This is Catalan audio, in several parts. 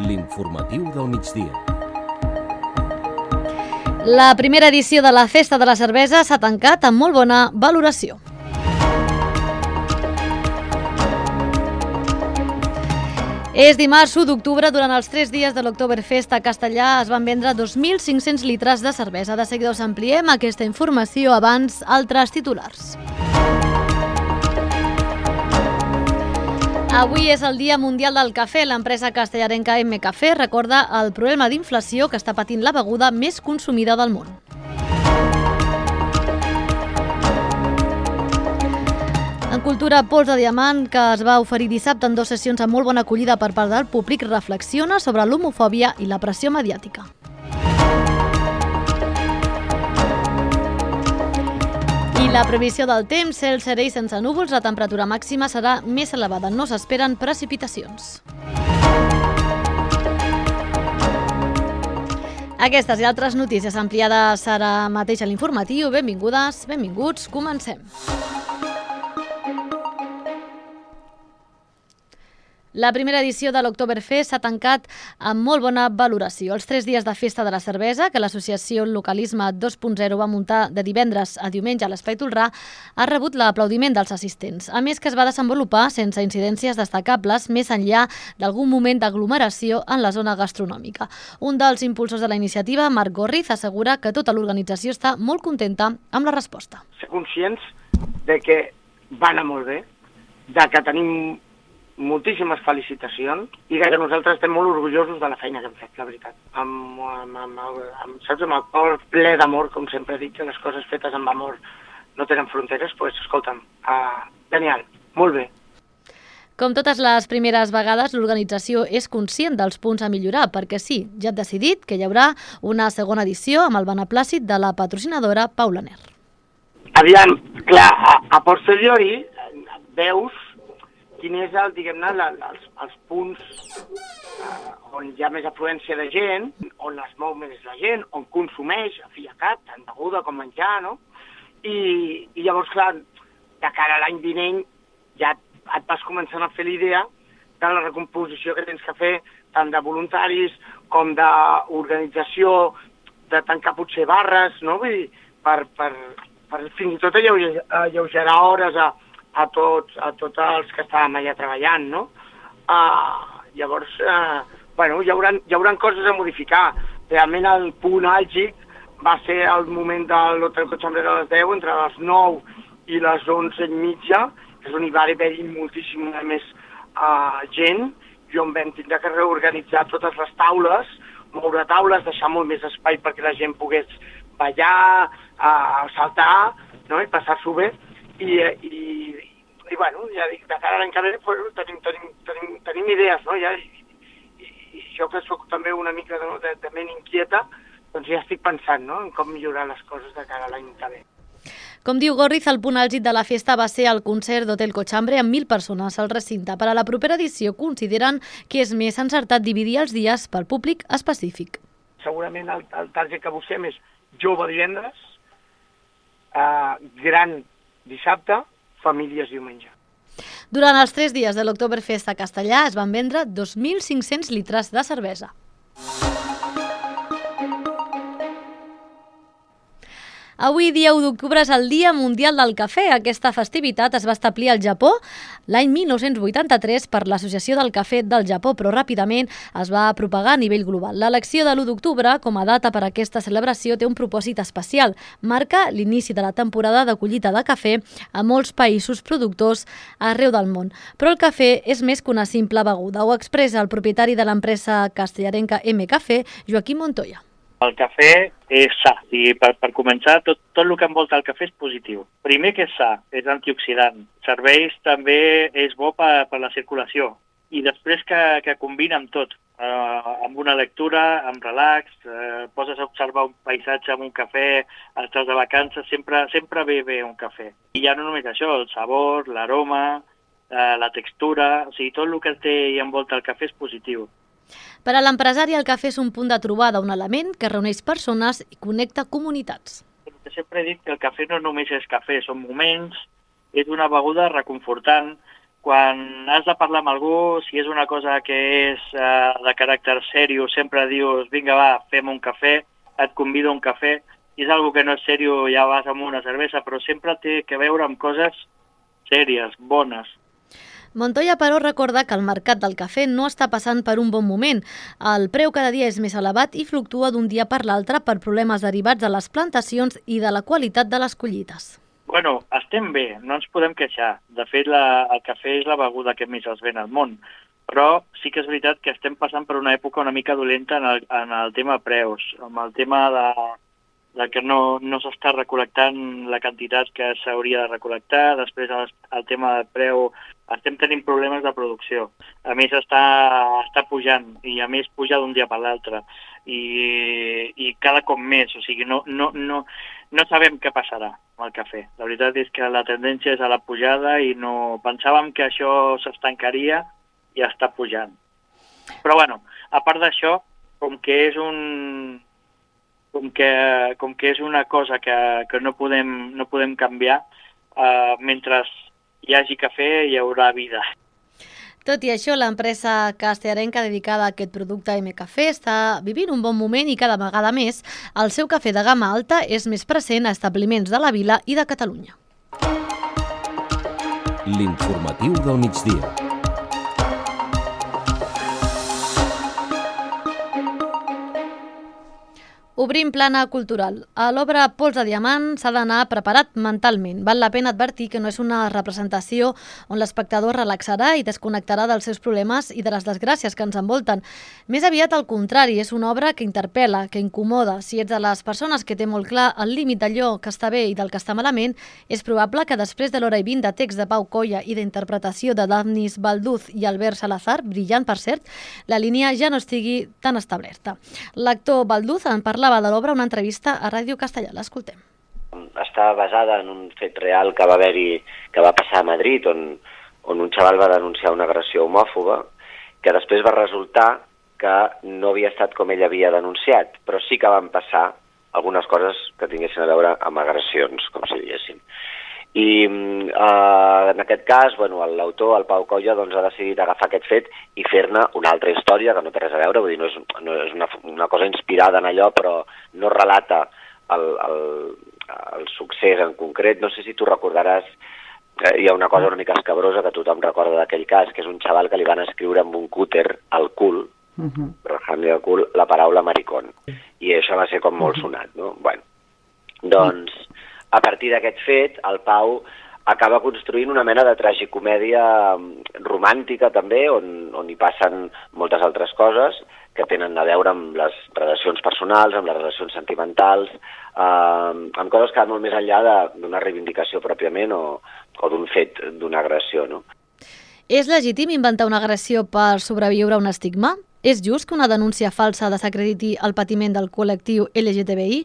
L'informatiu del migdia. La primera edició de la Festa de la Cervesa s'ha tancat amb molt bona valoració. És dimarts 1 d'octubre. Durant els 3 dies de l'Oktoberfest a Castellà es van vendre 2.500 litres de cervesa. De seguida us ampliem aquesta informació, abans altres titulars. Avui és el Dia Mundial del Cafè. L'empresa castellarenca M Cafè recorda el problema d'inflació que està patint la beguda més consumida del món. En cultura, Pols de Diamant, que es va oferir dissabte en 2 sessions amb molt bona acollida per part del públic, reflexiona sobre l'homofòbia i la pressió mediàtica. I la previsió del temps: cel serè i sense núvols, la temperatura màxima serà més elevada, no s'esperen precipitacions. Aquestes i altres notícies ampliades ara mateix a l'informatiu. Benvingudes, benvinguts, comencem. La primera edició de l'Oktoberfest s'ha tancat amb molt bona valoració. Els 3 dies de festa de la cervesa, que l'associació Localisme 2.0 va muntar de divendres a diumenge a l'Espai Tolrà, ha rebut l'aplaudiment dels assistents. A més, que es va desenvolupar sense incidències destacables, més enllà d'algun moment d'aglomeració en la zona gastronòmica. Un dels impulsors de la iniciativa, Marc Gorriz, assegura que tota l'organització està molt contenta amb la resposta. Ser conscients de que va anar molt bé, de que tenim moltíssimes felicitacions i que nosaltres estem molt orgullosos de la feina que hem fet, la veritat. Amb el cor ple d'amor, com sempre dic, que les coses fetes amb amor no tenen fronteres, doncs escolta'm, genial, molt bé. Com totes les primeres vegades, l'organització és conscient dels punts a millorar, perquè sí, ja ha decidit que hi haurà una segona edició amb el beneplàcit de la patrocinadora Paula Ner. Aviam, clar, a posteriori veus quin és els punts on hi ha més afluència de gent, on es mou més la gent, on consumeix, a fi i a cap, tant beguda com menjar, no? I llavors, clar, de cara a l'any vinent ja et vas començant a fer l'idea de la recomposició que tens que fer, tant de voluntaris com d'organització, de tancar potser barres, no? Vull dir, per fins i tot alleugerar hores a tots els que estàvem allà treballant, no? Llavors, hi haurà coses a modificar. Realment el punt àlgid va ser el moment de l'Hotel Cochambre a les 10, entre les 9 i les 11:30, que és on hi va haver moltíssima més gent, i on vam tindre que reorganitzar totes les taules, moure taules, deixar molt més espai perquè la gent pogués ballar, saltar, no? I passar-s'ho bé. I bueno, ja dic, de cara a l'any que ve tenim idees, no? I jo que soc també una mica de ment inquieta, doncs ja estic pensant, no?, en com millorar les coses de cara a l'any que ve. Com diu Gorriz, el punt àlgid de la festa va ser el concert d'Hotel Cochambre amb 1.000 persones al recinte. Per a la propera edició consideren que és més encertat dividir els dies pel públic específic. Segurament el target que busquem és jove divendres, gran dissabte, famílies diumenge. Durant els 3 dies de l'Oktoberfest a Castellà es van vendre 2.500 litres de cervesa. Avui, dia 1 d'octubre, és el Dia Mundial del Cafè. Aquesta festivitat es va establir al Japó l'any 1983 per l'Associació del Cafè del Japó, però ràpidament es va propagar a nivell global. L'elecció de l'1 d'octubre com a data per a aquesta celebració té un propòsit especial. Marca l'inici de la temporada de collita de cafè a molts països productors arreu del món. Però el cafè és més que una simple beguda. Ho expressa el propietari de l'empresa castellarenca M Cafè, Joaquim Montoya. El cafè és sa, i per començar, tot el que envolta el cafè és positiu. Primer que és sa, és antioxidant. Serveix també, és bo per la circulació. I després que combina amb tot, amb una lectura, amb relax, poses a observar un paisatge amb un cafè, estàs de vacances, sempre ve un cafè. I ja no només això, el sabor, l'aroma, la textura, o sigui, tot el que té i envolta el cafè és positiu. Per a l'empresari, el cafè és un punt de trobada, un element que reuneix persones i connecta comunitats. Sempre he dit que el cafè no només és cafè, són moments, és una beguda reconfortant. quan has de parlar amb algú, si és una cosa que és de caràcter seriós, sempre dius, vinga va, fem un cafè, et convido a un cafè. Si és algo que no és seriós, ja vas amb una cervesa, però sempre té que veure amb coses sèries, bones. Montoya, però, recorda que el mercat del cafè no està passant per un bon moment. El preu cada dia és més elevat i fluctua d'un dia per l'altre per problemes derivats de les plantacions i de la qualitat de les collites. Bueno, estem bé, no ens podem queixar. De fet, el cafè és la beguda que més es ven al món. Però sí que és veritat que estem passant per una època una mica dolenta en el tema preus, amb el tema de que no s'està recol·lectant la quantitat que s'hauria de recol·lectar. Després el tema del preu, estem tenint problemes de producció. A més està pujant, i a més puja d'un dia per l'altre. I cada cop més, o sigui, no sabem què passarà amb el cafè. La veritat és que la tendència és a la pujada i no pensàvem que això s'estancaria i està pujant. Però bueno, a part d'això, com que és una cosa que no podem canviar, mentre hi hagi cafè hi haurà vida. Tot i això, l'empresa castellarenca dedicada a aquest producte MCafè està vivint un bon moment i cada vegada més el seu cafè de gamma alta és més present a establiments de la vila i de Catalunya. L'informatiu del migdia. Obrim plana cultural. A l'obra Pols de Diamant s'ha d'anar preparat mentalment. Val la pena advertir que no és una representació on l'espectador relaxarà i desconnectarà dels seus problemes i de les desgràcies que ens envolten. Més aviat al contrari, és una obra que interpel·la, que incomoda. Si ets de les persones que té molt clar el límit d'allò que està bé i del que està malament, és probable que després de l'hora i 20 de text de Pau Colla i d'interpretació de Dafnis Balduz i Albert Salazar, brillant per cert, la línia ja no estigui tan establerta. L'actor Balduz en parlava de l'obra una entrevista a Ràdio Castellà. L'escoltem. Està basada en un fet real que va haver-hi, que va passar a Madrid, on un xaval va denunciar una agressió homòfoba, que després va resultar que no havia estat com ell havia denunciat, però sí que van passar algunes coses que tinguessin a veure amb agressions, com si diguéssim. I en aquest cas, l'autor, el Pau Colla, ha decidit agafar aquest fet i fer-ne una altra història que no té res a veure, vull dir, no és una cosa inspirada en allò, però no relata el succés en concret. No sé si tu recordaràs, hi ha una cosa una mica escabrosa que tothom recorda d'aquell cas, que és un xaval que li van escriure amb un cúter al cul, rajant-li al cul, la paraula maricón. I això va ser com molt sonat, no? Bueno, doncs, a partir d'aquest fet, el Pau acaba construint una mena de tragicomèdia romàntica també, on hi passen moltes altres coses que tenen a veure amb les relacions personals, amb les relacions sentimentals, amb coses que van molt més enllà d'una reivindicació pròpiament o d'un fet, d'una agressió, no? És legítim inventar una agressió per sobreviure a un estigma? És just que una denúncia falsa desacrediti el patiment del col·lectiu LGTBI?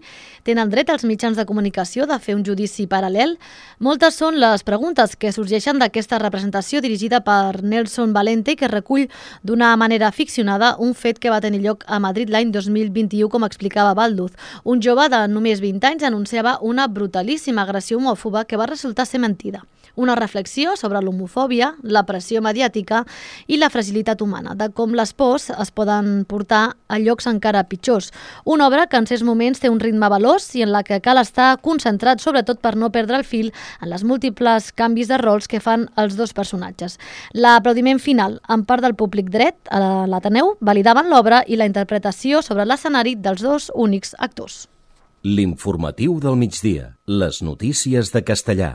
Tenen dret els mitjans de comunicació de fer un judici paral·lel? Moltes són les preguntes que sorgeixen d'aquesta representació dirigida per Nelson Valente, que recull d'una manera ficcionada un fet que va tenir lloc a Madrid l'any 2021, com explicava Balduz. Un jove de només 20 anys anunciava una brutalíssima agressió homòfoba que va resultar ser mentida. Una reflexió sobre l'homofòbia, la pressió mediàtica i la fragilitat humana, de com les pors es poden portar a llocs encara pitjors. Una obra que en certs moments té un ritme veloç i en la que cal estar concentrat, sobretot per no perdre el fil en les múltiples canvis de rols que fan els dos personatges. L'aplaudiment final, en part del públic dret a l'Ateneu, validaven l'obra i la interpretació sobre l'escenari dels dos únics actors. L'informatiu del migdia. Les notícies de Castellà.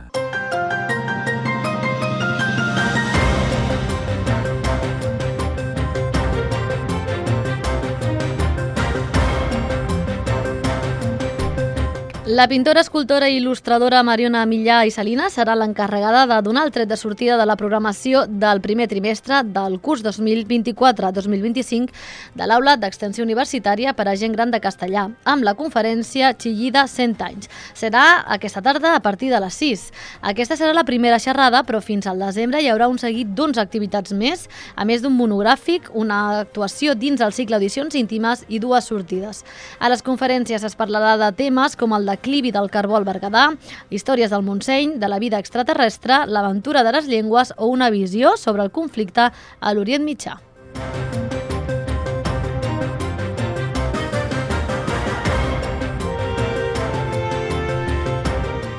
La pintora, escultora i il·lustradora Mariona Millà i Salinas serà l'encarregada de donar el tret de sortida de la programació del primer trimestre del curs 2024-2025 de l'Aula d'Extensió Universitària per a Gent Gran de Castellà, amb la conferència Chillida 100 anys. Serà aquesta tarda a partir de les 6. Aquesta serà la primera xerrada, però fins al desembre hi haurà un seguit d'11 activitats més, a més d'un monogràfic, una actuació dins el cicle Audicions íntimes i 2 sortides. A les conferències es parlarà de temes com el de declivi del carbó al Berguedà, històries del Montseny, de la vida extraterrestre, l'aventura de les llengües o una visió sobre el conflicte a l'Orient Mitjà.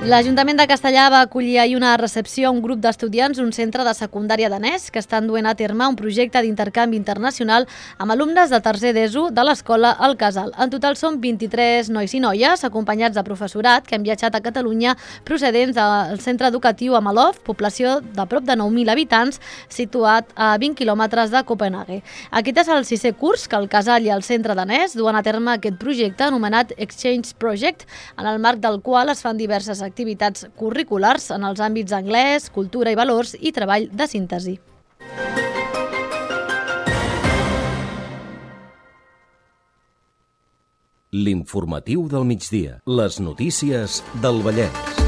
L'Ajuntament de Castellar va acollir ahir una recepció a un grup d'estudiants d'un centre de secundària danès que estan duent a terme un projecte d'intercanvi internacional amb alumnes de tercer d'ESO de l'escola El Casal. En total són 23 nois i noies, acompanyats de professorat, que han viatjat a Catalunya procedents del centre educatiu Amalov, població de prop de 9.000 habitants, situat a 20 quilòmetres de Copenhague. Aquest és el 6è curs que el Casal i el centre danès duen a terme aquest projecte anomenat Exchange Project, en el marc del qual es fan diverses activitats curriculars en els àmbits anglès, cultura i valors i treball de síntesi. L'informatiu del migdia. Les notícies del Vallès.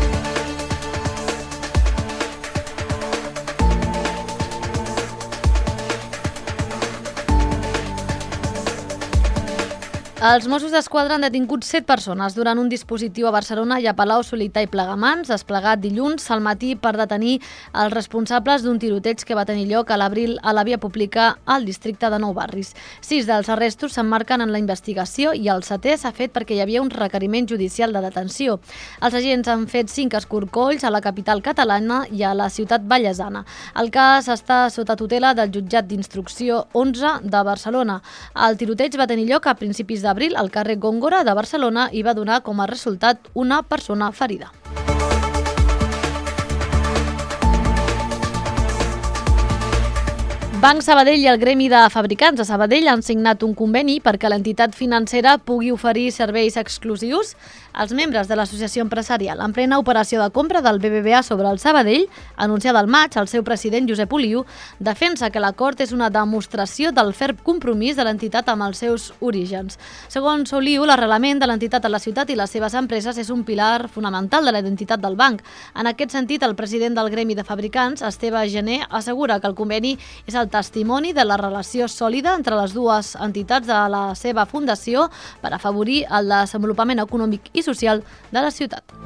Els Mossos d'Esquadra han detingut 7 persones durant un dispositiu a Barcelona i a Palau-solità i Plegamans, desplegat dilluns al matí per detenir els responsables d'un tiroteig que va tenir lloc a l'abril a la via pública al districte de Nou Barris. 6 dels arrestos s'emmarquen en la investigació i el 7è s'ha fet perquè hi havia un requeriment judicial de detenció. Els agents han fet 5 escorcolls a la capital catalana i a la ciutat vallesana. El cas està sota tutela del jutjat d'instrucció 11 de Barcelona. El tiroteig va tenir lloc a principis d'abril al carrer Góngora de Barcelona i va donar com a resultat una persona ferida. Banc Sabadell i el Gremi de Fabricants de Sabadell han signat un conveni perquè l'entitat financera pugui oferir serveis exclusius als membres de l'associació empresarial. En plena operació de compra del BBVA sobre el Sabadell, anunciada al maig, el seu president Josep Oliu defensa que l'acord és una demostració del ferm compromís de l'entitat amb els seus orígens. Segons Oliu, l'arrelament de l'entitat a la ciutat i les seves empreses és un pilar fonamental de la identitat del banc. En aquest sentit, el president del Gremi de Fabricants, Esteve Gené, assegura que el conveni és el testimoni de la relació sòlida entre les dues entitats de la seva fundació per afavorir el desenvolupament econòmic i social de la ciutat.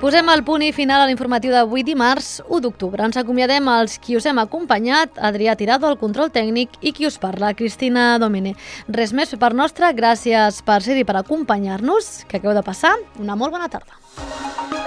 Posem el punt i final a l'informatiu d'avui dimarts 1 d'octubre. Ens acomiadem als qui us hem acompanyat, Adrià Tirado, al control tècnic, i qui us parla, Cristina Domene. Res més per nostra, gràcies per ser-hi, per acompanyar-nos, que acabeu de passar una molt bona tarda.